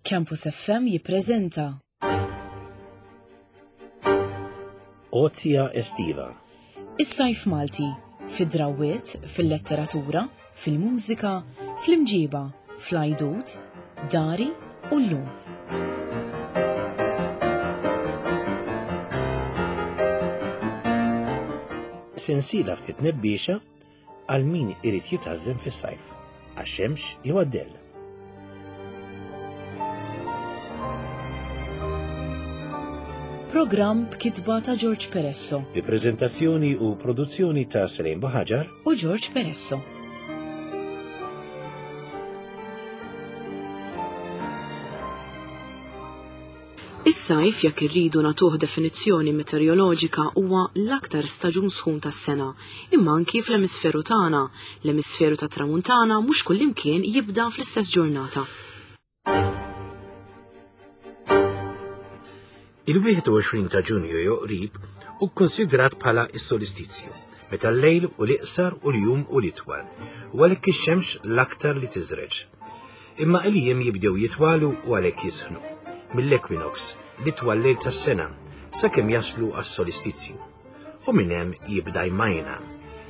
Campus FM jippreżenta. Għotja Estiva. Is-sajf Malti, fid-drawwiet, fil-letteratura, fil-mużika, fl-imġiba, fl-għajdut, dari u llum. Sensiela ftit nebbiexa għal min irid jitgħażżen fis-sajf, għax-xemx jew għad-dell. Programm b'kitba ta' George Peresso. Bi preżentazzjoni u produzzjoni ta' Selene Buħaġar u George Peresso. Is-sajf, jekk irridu nagħtuh definizzjoni meteoroloġika, huwa l-aktar staġun sħun tas-sena, imma anki fl-emisferu tagħna, l-emisferu tat-Tramuntana mhux kullimkien jibda fl-istess ġurnata. Il-21 ta' Ġunju jew qrib hu kkunsidrat bħala s-solistizju, meta l-lejl u l-iqsar u l-jum u l-itwal, u għalhekk ix-xemx l-aktar li tiżreġ. Imma il-jiem jibdew jitwalu u għalhekk jisħnu. Mill-equinox, l-itwal lejl tas-sena, sakemm jaslu għas-solistizju. U minn hemm jibda jmajna.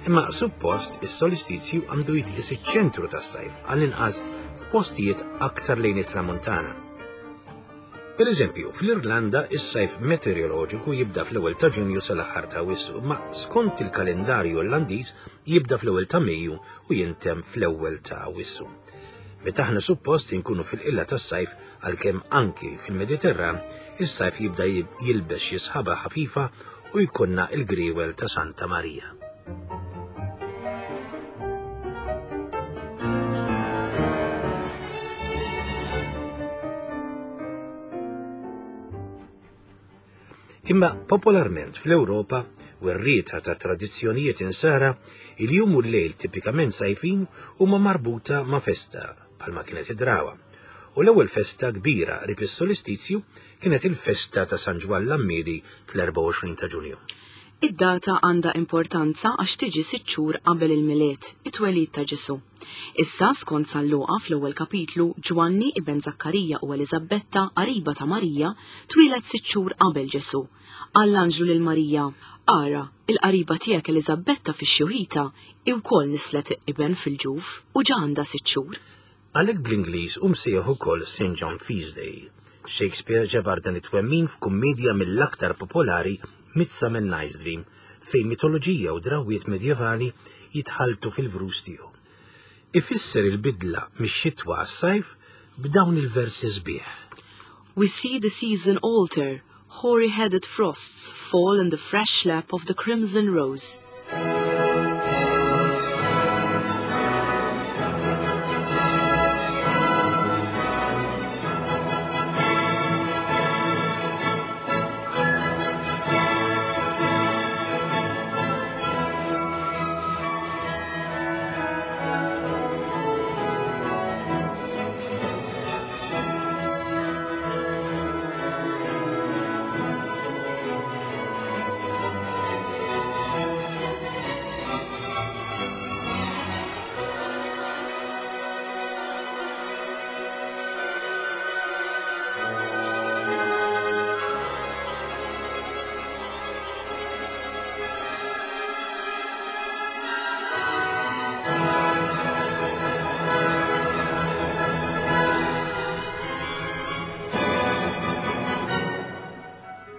Imma suppost is-solistizju għandu jitqis iċ-ċentru tas-sajf għall-inqas f'postijiet aktar lejn it-tramuntana. Per eżempju, fl-Irlanda is-sajf meteoroloġiku jibda fl-ewwel ta' Ġunju sal-aħħar ta' Awwissu, ma skont il-kalendarju Irlandiż jibda fl-ewwel ta' Mejju u jintemm fl-ewwel ta' Awwissu. Meta aħna suppost inkunu fil-qilla tas-sajf għalkemm anki fil-Mediterran is-sajf jibda jilbes xi sħaba ħafifa u jkollna il-griewel ta' Santa Marija. Imma popolarment fl-Ewropa, werrieta ta' tradizzjonijiet insara, il-jum u l-lejl tipikament sajfin huma marbuta ma' festa, bħalma kienet id-drawa. U l-ewwel festa kbira qrib is-solistizju kienet il-festa ta' San Ġwann l-Għammiedi fl-24 ta' Ġunju. Id-data għandha importanza għax tiġi sitt xhur qabel il-Milied, it-twelid ta' Ġesù. Issa, skont San Luqa fl-ewwel kapitlu, Ġwanni, iben Żakkarija u Eliżabbetta, qariba ta' Marija, twieled sitt xhur qabel Ġesù. Qal l-anġlu lil Marija, Ara, il-qariba tiegħek Eliżabbetta fix-xjuħita hi wkoll nisslet iben fil-ġuf, u ġa għandha sitt xhur. Għalhekk bl-Ingliż hu msejjaħ ukoll St. John Feast Day. Shakespeare ġabar dan it-twemmin f'kummiedja mill-aktar popolari Midsummer Night's Dream, fejn mitoloġija u drawwiet medjevali jitħalltu fil-vrus tiegħu. Ifisser il-bidla mix-xitwa għas-sajf b'dawn il-versi sbieħ. We see the season alter, Hoary-headed frosts fall in the fresh lap of the crimson rose.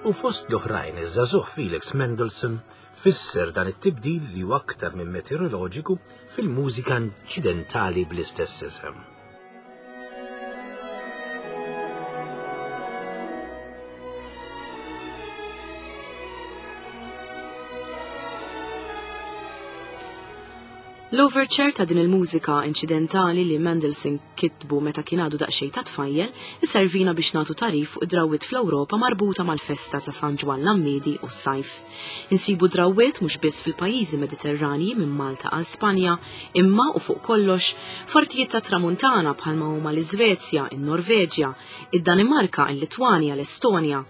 U fost l-oħrajn iż-żagħżugħ Felix Mendelssohn fisser dan it-tibdil li huwa aktar minn meteoroloġiku fil-mużika inċidentali bl-istess isem. L-overture ta' din il-mużika inċidentali li Mendelssohn kitbu meta kien għadu daqsxejn ta' tfajjel iservina biex nagħtu tagħrif fuq id-drawwiet fl-Ewropa marbuta mal-festa ta' San Ġwann l-Għammiedi u s-sajf. Insibu drawwiet mhux biss fil-pajjiżi Mediterranji minn Malta għal Spanja, imma u fuq kollox f'artijiet tat-Tramuntana bħalma huma l-Iżvezja, in-Norveġja, id-Danimarka, il-Litwanja, l-Estonja,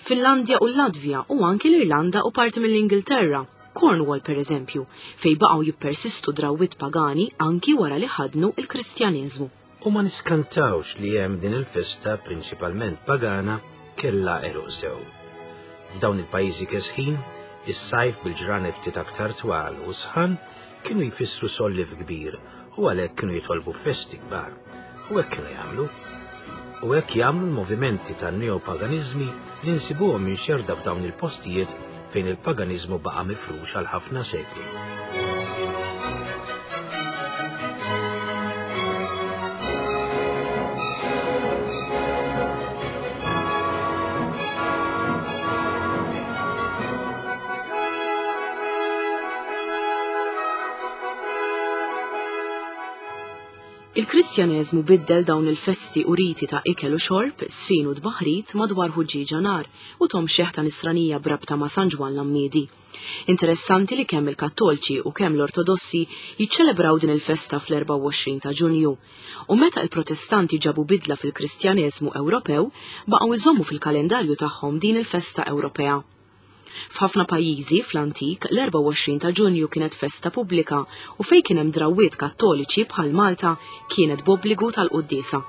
Finlandja u l-Latvja u anki l-Irlanda u parti mill-Ingilterra. Cornwall pereżempju, fejn baqgħu jippersistu drawwiet pagani anki wara li ħaddnu l-Kristjaneżmu. U ma niskantawx li hemm din il-festa prinċipalment pagana kellha għeruq sew. F'dawn il-pajjiżi kesħin, is-sajf bil-ġranet ftit aktar twal u sħan kienu jfissru solliev kbir u għalhekk kienu jitolbu festi kbar. U hekk kienu jagħmlu. U hekk jagħmlu l-movimenti tan-neopaganiżmi li nsibuhom imxerrda f'dawn il-postijiet fejn il-paganiżmu baqa' mifrux għal ħafna sekli. Il-Kristjaneżmu biddel dawn il-festi u riti ta' ikel u xorb, żfin u tbaħrid madwar ħuġġieġa nar u tom xeħta nisranija b'rabta ma' San Ġwann l-Għammiedi. Interessanti li kemm il-Kattolċi u kemm l-Ortodossi jiċċelebraw din il-festa fl-24 ta' Ġunju. U meta l-Protestanti ġabu bidla fil-Kristjaneżmu Ewropew, baqgħu jżommu fil-kalendarju tagħhom din il-festa Ewropea. F'ħafna pajjiżi, fl-antik, l-24 ta' Ġunju kienet festa pubblika u fejn kien hemm drawwiet Kattoliċi bħal Malta kienet b'obbligu tal-quddiesa.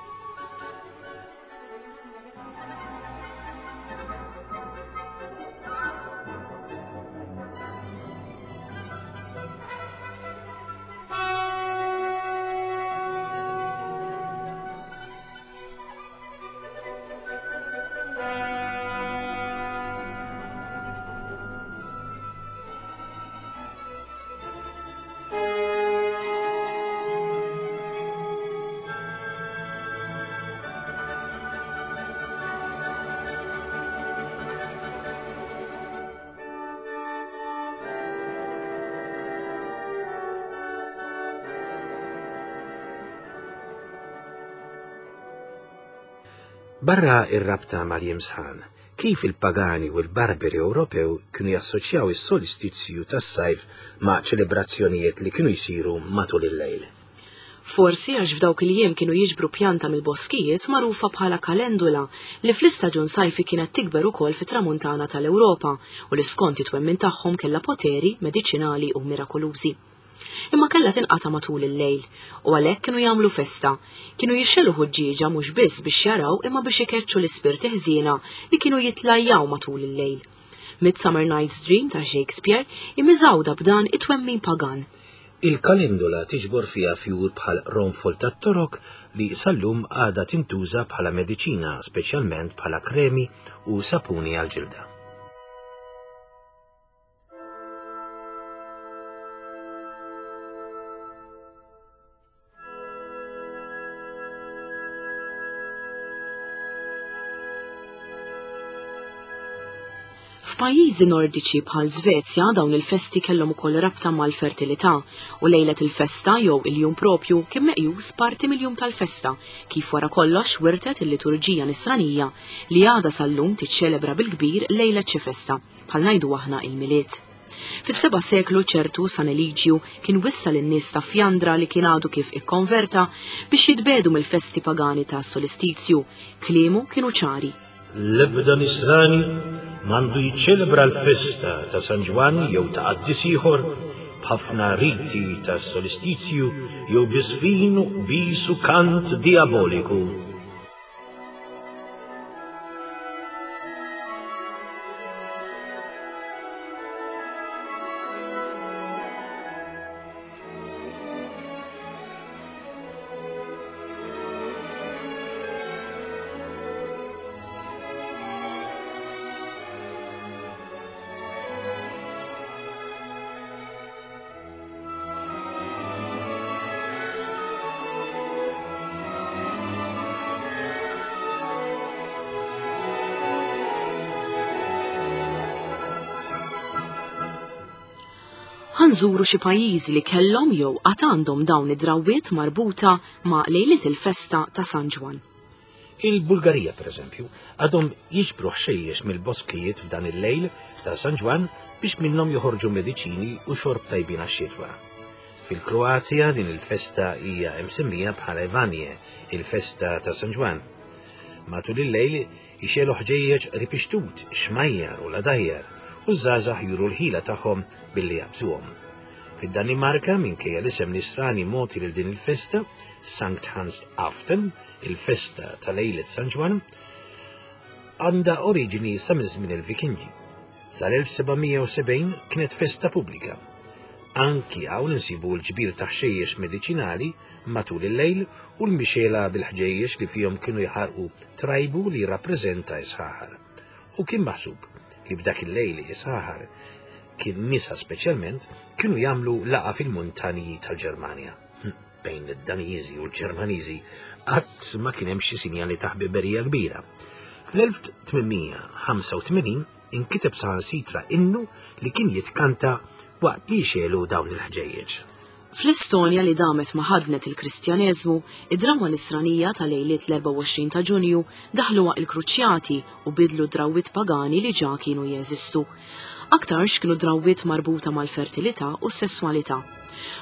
Barra ir-rabta mal-jiem sħan, kif il-pagani u l-barberi Ewropew kienu jassoċjaw is-solstizju tas-sajf ma' ċelebrazzjonijiet li kienu jsiru matul il-lejl? Forsi għax f'dawk il-jiem kienu jiġbru pjanta mill-boskijiet magħrufa bħala kalendula li fl-istaġun sajfi kienet tikber ukoll fit-tramuntana tal-Ewropa u li skont it-twemmin tagħhom kellha poteri mediċinali u mirakolużi. Imma kellha tinqata' matul il-lejl u għalhekk kienu jagħmlu festa. Kienu jixxelu ħuġġieġa mhux biss biex jaraw imma biex ikeċċu l-ispirti ħżiena li kienu jitlajjaw matul il-lejl. Midsummer Night's Dream ta' Shakespeare hi miżgħuda b'dan it-twemmin pagan. Il-kalendula tiġbor fiha fjur bħal qronfol tat-torok li sal-lum għadha tintuża bħala mediċina, speċjalment bħala kremi u sapuni għall-ġilda. F'pajjiżi Nordiċi bħal Svezja dawn il-festi kellhom ukoll rabta mal-fertilità u lejlet il-festa jew il-jum propju kien meqjus parti mill-jum tal-festa kif wara kollox wirtet il-liturġija nisranija li għadha sal-lum tiċċelebra bil-kbir lejlet xi festa. bħal ngħidu aħna il-Milied. Fis-seba' seklu ċertu San Eliġju kien wissa lin-nies ta' Fjandra li kien għadu kif ikkonverta biex jitbiegħdu mill-festi pagani ta' solistizju. Kliemu kienu ċari. L-ebda Nisrani m'għandu jiċċelebra l-festa ta' San Ġwann jew ta' qaddis ieħor b'ħafna riti ta' solistizju jew bi żfin u qbiż u kant dijaboliku. Ħa nżuru xi pajjiżi li kellhom jew għad għandhom dawn id-drawwiet marbuta ma' lejliet il-festa ta' San Ġwann. Il-Bulgarija, pereżempju, għadhom jiġbru ħxejjex mill-boskijiet f'dan il-lejl ta' San Ġwann biex minnhom joħorġu mediċini u xorb tajbin għax-xitwa. Fil-Kroazja din il-festa hija msemmija bħala Ivanje, il-festa ta' San Ġwann. Matul il-lejl ixegħlu ħġejjeġ qrib ix-xtut, xmajjar u ladajjar, u ż-żgħażagħ juru l-ħila tagħhom billi jaqbżuhom. Fid-Danimarka, minkejja l-isem nisrani mogħti lil din il-festa, Sankt Hans Aften, il-festa ta' lejlet San Ġwann, għandha oriġini sa minn żmien il-Vikingi. Sal-1770 kienet festa pubblika. Anki hawn insibu l-ġbir ta' ħxejjex mediċinali matul il-lejl u l-mixela bil-ħġejjex li fihom kienu jħarqu trajbu li jirrappreżenta s-sħaħar. U kien maħsub li f'dak il-lejl is-sħaħar kien nisa speċjalment kienu jagħmlu laqa fil-muntanji tal-Ġermanja. Bejn id-Daniżi u l-Ġermaniżi qatt ma kien hemm xi sinjali ta' ħbiberija kbira. Fl-1885 inkiteb saħansitra innu li kien jitkanta waqt li jxelu dawn il-ħġejjeġ. Fl-Estonja li damet ma ħadnet il-Kristjaneżmu, id-drawwa Nisranija ta' lejliet l-24 ta' Ġunju daħluha il-Kruċjati u bidlu drawwiet pagani li ġa kienu jeżistu. Aktarx kienu drawwiet marbuta mal-fertilità u s-sesswalità.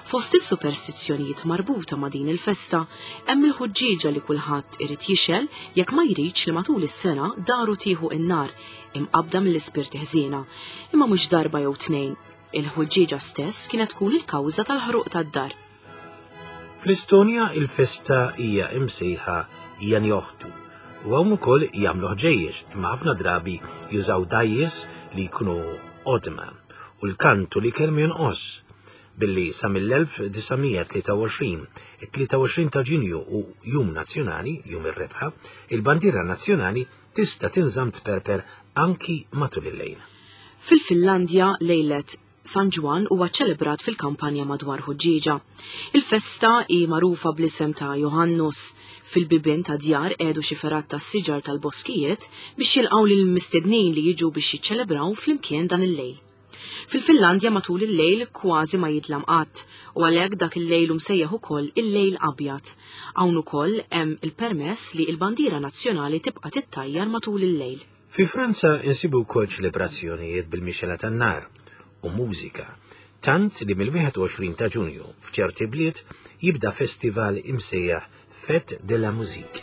Fost is-superstizzjonijiet marbuta ma' din il-festa hemm il-ħuġġieġa li kulħadd irid jixgħel jekk ma jridx li matul is-sena daru tieħu n-nar imqabbda mill-ispirti ħżiena, imma mhux darba jew tnejn. Il-ħuġġieġa stess kienet tkun il-kawża tal-ħruq tad-dar. Fl-Estonja il-festa hija imsejħa Janjohtu u hawn ukoll jagħmlu ħġejjex imma ħafna drabi jużaw dgħajjes li jkunu qodma u l-kantu li kelmu jonqos billi sa mill-1923, it-23 ta' Ġunju u Jum Nazzjonali, Jum ir-Rebħa, il-bandiera nazzjonali tista' tinżamm tperper anki matul il-lejl. Fil-Finlandja, lejlet San Ġwann huwa ċċelebrat fil-kampanja madwar Ħuġġieġa. Il-festa hi magħrufa bl-isem ta' Johannus. Fil-bibien ta' djar qiegħdu xi fergħat tas-siġar tal-boskijiet biex jilqgħu lill-mistednin li jiġu biex jiċċelebraw flimkien dan il-lejl. Fil-Finlandja matul il-lejl kważi ma jidlam qatt u għalhekk dak il-lejl hu msejjaħ ukoll il-lejl abjad. Hawn ukoll hemm il-permess li l-bandiera nazzjonali tibqa' tittajjar matul il-lejl. Fi Franza insibu wkoll ċelebrazzjonijiet bil-mixela tan-nar u mużika, tant li mill-21 ta' Ġunju f'ċerti bliet jibda festival imsejjaħ Fête de la Musique.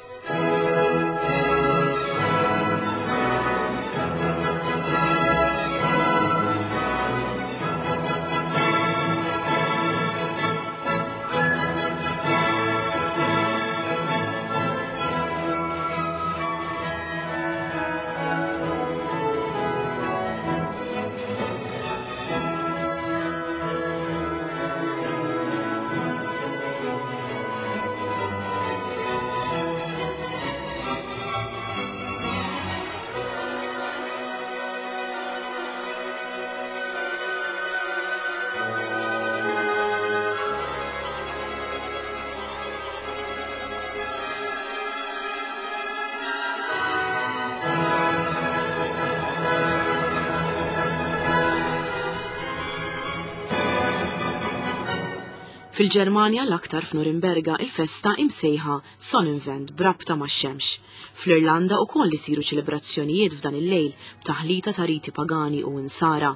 Fil-Ġermanja l-aktar f'Norimberga il-festa imsejħa Sonnenwend b'rabta max-xemx. Fl-Irlanda ukoll isiru ċelebrazzjonijiet f'dan il-lejl b'taħlita ta' riti pagani u insara.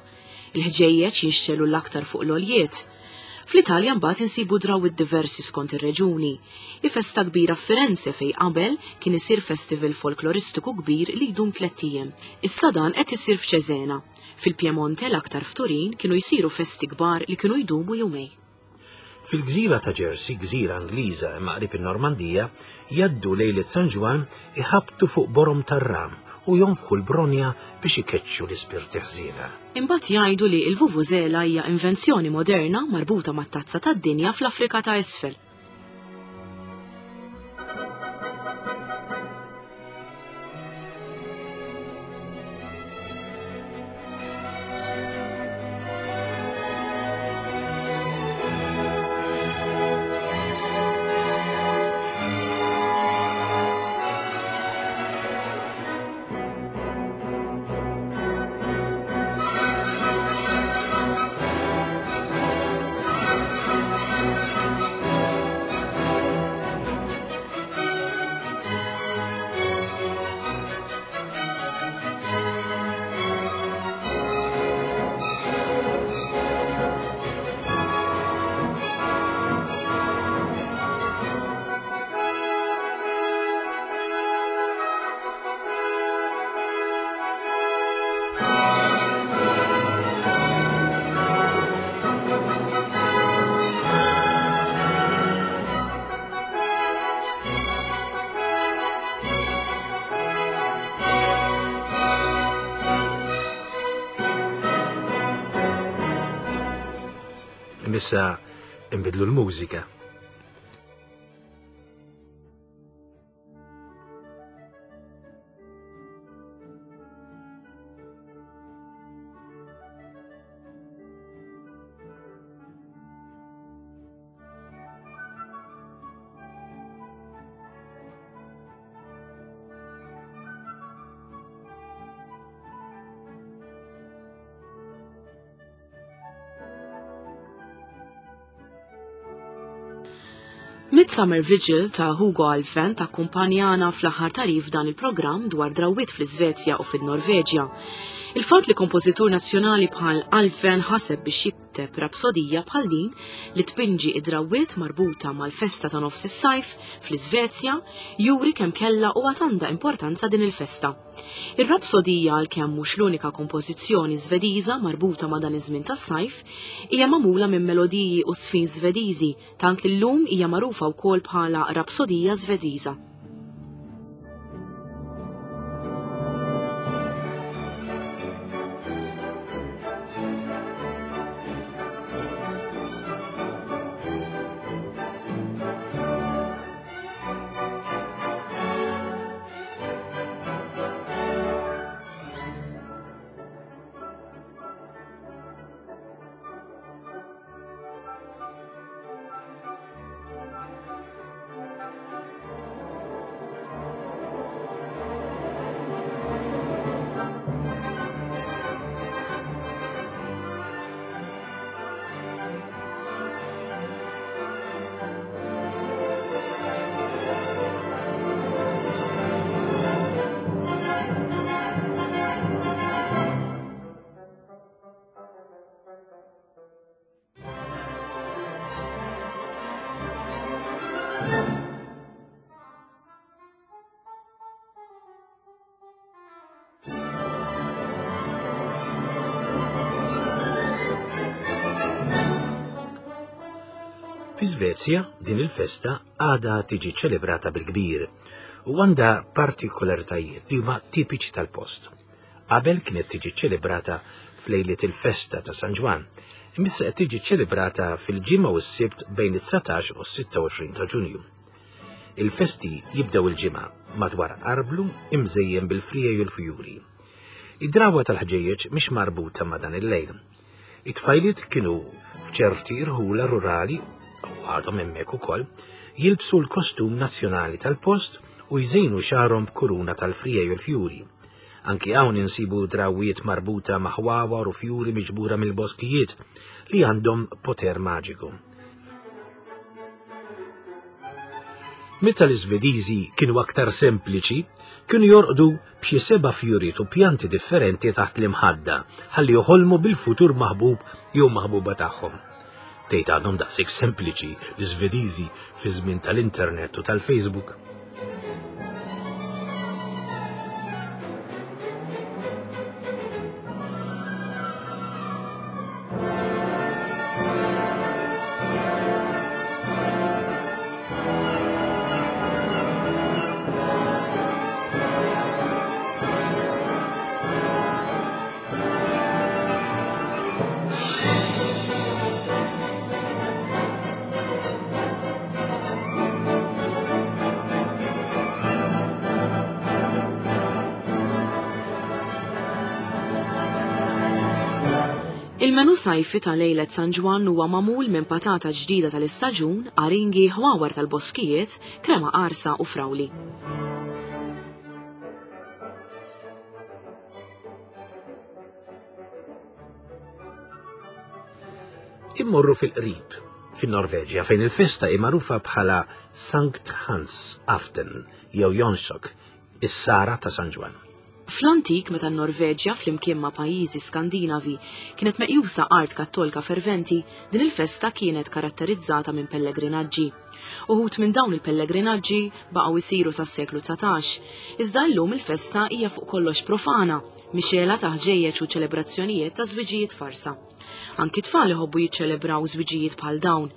Il-ħġejjeġ jinxtelu l-aktar fuq l-għoljiet. Fl-Italja mbagħad insibu drawwiet diversi skont ir-reġuni. Hi festa kbira f'Firenze fejn qabel kien isir festival folkloristiku kbir li jdum tlett ijiem. Issa dan qed isir f'Cesena. Fil-Piemonte l-aktar f'Turin kienu jsiru festi kbar li kienu jdumu jumej. Fil-gżira ta' Jersey, gżira Ingliża imma qrib in-Normandija, jgħaddu lejlet San Ġwann iħabbtu fuq borom tar-ram u jonfħu l-bronja biex ikeċċu l-ispirti ħżiena. Imbagħad jgħidu li l-vuvuzela hija invenzjoni moderna marbuta mat-Tazza tad-Dinja fl-Afrika ta' Isfel. Imma issa nbiddlu l-mużika. Midsummer Vigil ta' Hugo Alfven takkumpanjana fl-aħħar tagħrif dan il-programm dwar drawwiet fl-Iżvezja u fin-Norveġja. Il-fatt li kompożitur nazzjonali bħal Alfven ħaseb biex jikteb rapsodija bħal din li tpinġi id-drawwiet marbuta mal-festa ta' nofs is-sajf fl-Iżvezja juri kemm kellha u għad għandha importanza din il-festa. Ir-rapsodija għalkemm mhux l-unika kompożizzjoni Żvediża marbuta ma' dan iż-żmien tas-sajf, hija magħmula minn melodiji u żfin Żvediżi tant li llum hija magħrufa wkoll bħala Rapsodija Żvediża. Fi Svezja din il-festa għadha tiġi ċelebrata bil-kbir u għandha partikolaritajiet li huma tipiċi tal-post. Qabel kienet tiġi ċelebrata f'lejliet il-festa ta' San Ġwann, imma issa qed tiġi ċelebrata fil-Ġimgħa u s-Sibt bejn it-19 u s-26 ta' Ġunju. Il-festi jibdew il-Ġimgħa madwar arblu imżejjen bil-friegħi u l-fjuri. Id-drawwa tal-ħġejjeġ mhix marbuta ma' dan il-lejl. It-tfajliet kienu f'ċerti irħula rurali, u għadhom hemmhekk ukoll, jilbsu l-kostum nazzjonali tal-post u jżejnu xagħarhom b'kuruna tal-friegħi u l-fjuri. Anki hawn insibu drawwiet marbuta ma' ħwawar u fjuri miġbura mill-boskijiet li għandhom poter maġiku. Meta l-Iżvediżi kienu aktar sempliċi, kienu jorqdu b'xi seba' fjuriet u pjanti differenti taħt l-imħadda ħalli joħolmu bil-futur maħbub jew maħbuba tagħhom. Tgħid għadhom daqshekk sempliċi l-Iżvediżi fi żmien tal-internet u tal-Facebook. Il-menu sajfi ta' lejlet San Ġwann huwa magħmul minn patata ġdida tal-istaġun, aringi, ħwawar tal-boskijiet, krema qarsa u frawli. Immorru fil-qrib, fin-Norveġja fejn il-festa hi magħrufa bħala Sankt Hans Aften jew Jonsok, is-Sara ta' San Ġwann. Fl-antik meta n-Norveġja flimkien ma' pajjiżi Skandinavi kienet meqjusa art kattolika ferventi, din il-festa kienet karatterizzata minn pellegrinaġġi. Uħud minn dawn il-pellegrinaġġi baqgħu jsiru sas-seklu 19, iżda llum il-festa hija fuq kollox profana, mixgħela ta' ħġejjeġ u ċelebrazzjonijiet ta' żwiġijiet farsa. Anki tfal iħobbu jiċċelebraw żwiġijiet bħal dawn.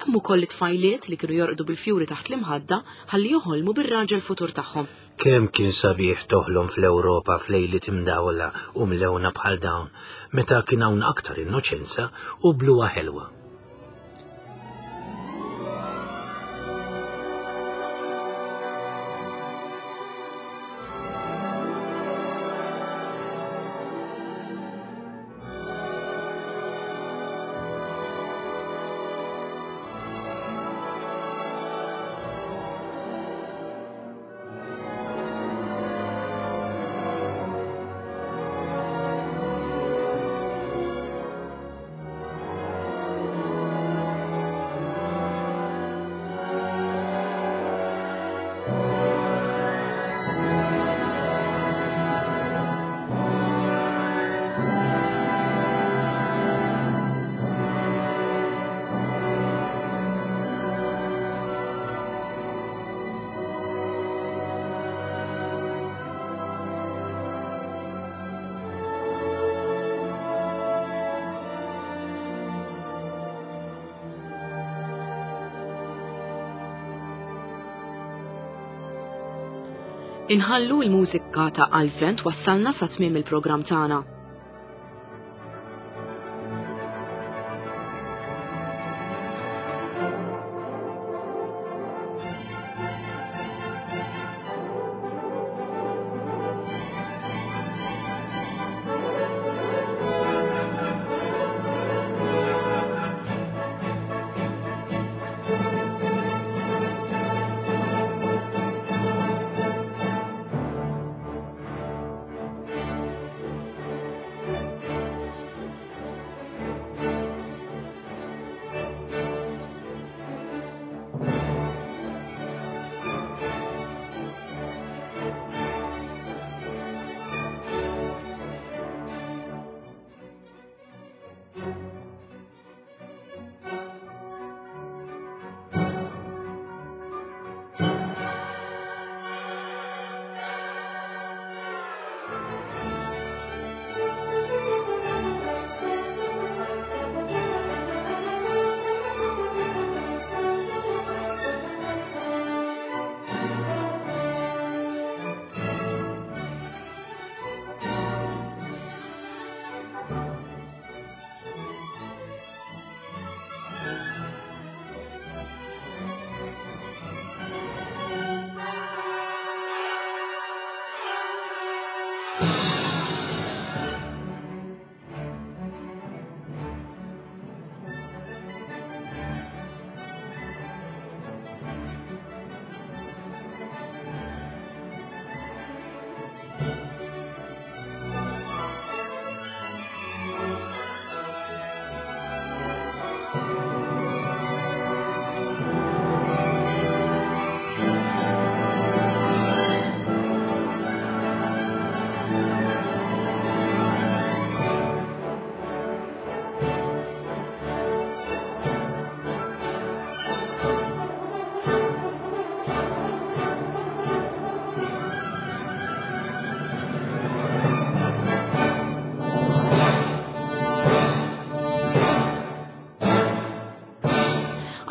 Hemm ukoll it-tfajliet li kienu jorqdu bil-fjuri taħt l-imħadda ħalli joħolmu bir-raġel futur tagħhom. Kemm kien sabiħ toħlom fl-Ewropa f'lejliet imdawla u mlewna bħal dawn, meta kien hawn aktar innoċenza u bluha ħelwa. Inħallu l-mużika ta' Alvent wassalna sa tmiem il-programm tagħna.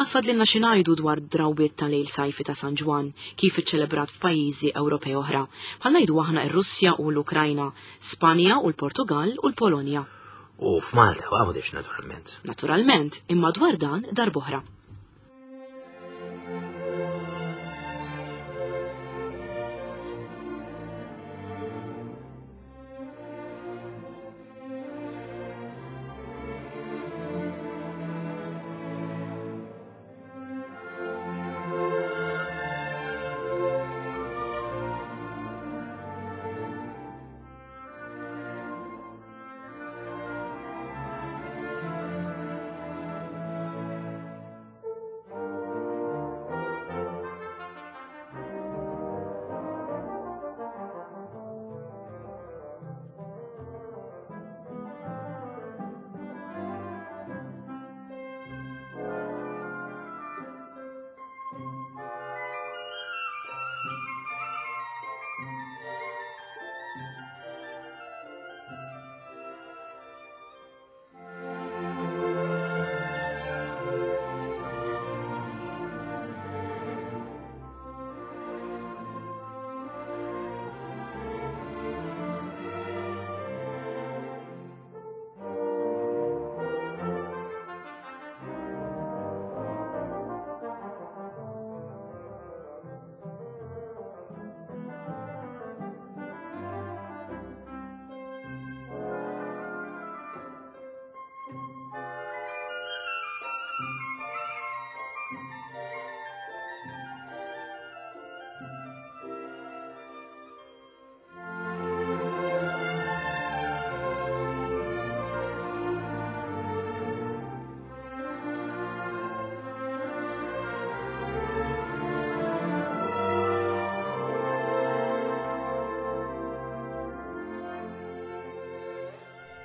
Għad fadlilna xi ngħidu dwar drawwiet ta' lejl sajfi ta' San Ġwann, kif iċċelebrat f'pajjiżi Ewropej oħra, bħal ngħidu aħna r-Russja u l-Ukrajna, Spanja u l-Portugall u l-Polonja. U f'Malta u Għawdex naturalment. Naturalment, imma dwar dan darb'oħra.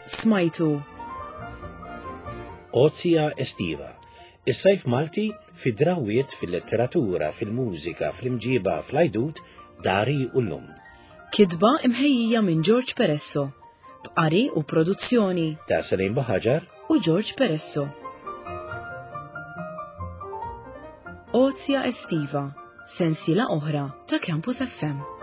Smajtu. Ozja Estiva. Is-sajf Malti fi drawiet fil-letteratura, fil-mużika, fl-imġiba, fl-għajdut, dari u llum. Kitba imħejjija minn George Peresso. B'qari u produzzjoni Ta' Salim Baħaġar u George Peresso. Ozja Estiva, sensiela oħra ta' Campus FM.